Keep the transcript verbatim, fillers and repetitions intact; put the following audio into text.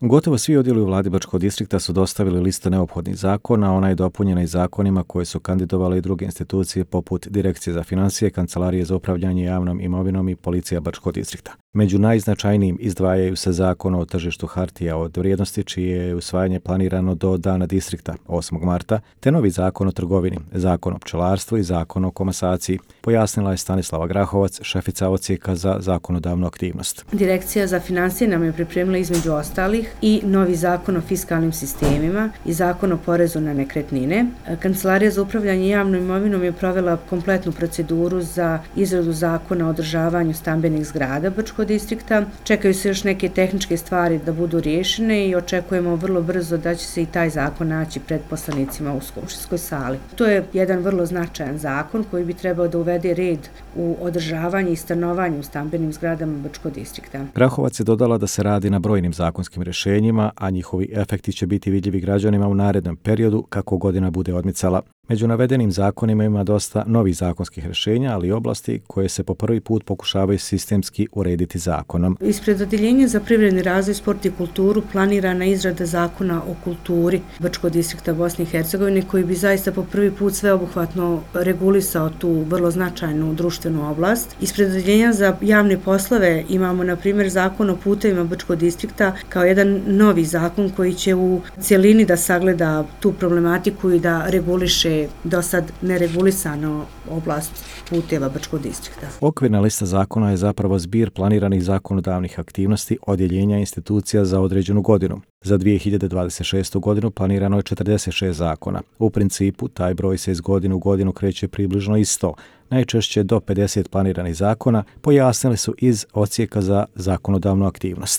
Gotovo svi odjeli u vladi Bačkog distrikta su dostavili listu neophodnih zakona, ona je dopunjena i zakonima koje su kandidovale i druge institucije poput Direkcije za financije, Kancelarije za upravljanje javnom imovinom i Policija Bačkog distrikta. Među najznačajnijim izdvajaju se Zakon o tržištu hartija od vrijednosti, čije je usvajanje planirano do dana distrikta osmog marta, te novi Zakon o trgovini, Zakon o pčelarstvu i Zakon o komasaciji, pojasnila je Stanislava Grahovac, šefica odsjeka za zakonodavnu aktivnost. Direkcija za financije nam je pripremila između ostalih i novi Zakon o fiskalnim sistemima i Zakon o porezu na nekretnine. Kancelarija za upravljanje javnom imovinom je provela kompletnu proceduru za izradu Zakona o održavanju stambenih zgrada Bačkog distrikta. Čekaju se još neke tehničke stvari da budu riješene i očekujemo vrlo brzo da će se i taj zakon naći pred poslanicima u skupštinskoj sali. To je jedan vrlo značajan zakon koji bi trebao da uvede red u održavanje i stanovanje u stambenim zgradama Bačkog distrikta. Grahovac je dodala da se radi na brojnim zakonskim rješenjima, a njihovi efekti će biti vidljivi građanima u narednom periodu kako godina bude odmicala. Među navedenim zakonima ima dosta novih zakonskih rješenja, ali i oblasti koje se po prvi put pokušavaju sistemski urediti zakonom. Ispred Odeljenja za privredni razvoj, sport i kulturu planirana izrada Zakona o kulturi Bačkog distrikta Bosne i Hercegovine, koji bi zaista po prvi put sveobuhvatno regulisao tu vrlo značajnu društvenu oblast. Ispred Odeljenja za javne poslove imamo, na primjer, Zakon o putevima Bačkog distrikta kao jedan novi zakon koji će u cjelini da sagleda tu problematiku i da reguliše do sad neregulisano oblast puteva Bačkog distrikta. Okvirna lista zakona je zapravo zbir planiranih zakonodavnih aktivnosti odjeljenja institucija za određenu godinu. Za dvije hiljade dvadeset šestu godinu planirano je četrdeset šest zakona. U principu, taj broj se iz godine u godinu kreće približno isto, najčešće do pedeset planiranih zakona, pojasnili su iz odsjeka za zakonodavnu aktivnost.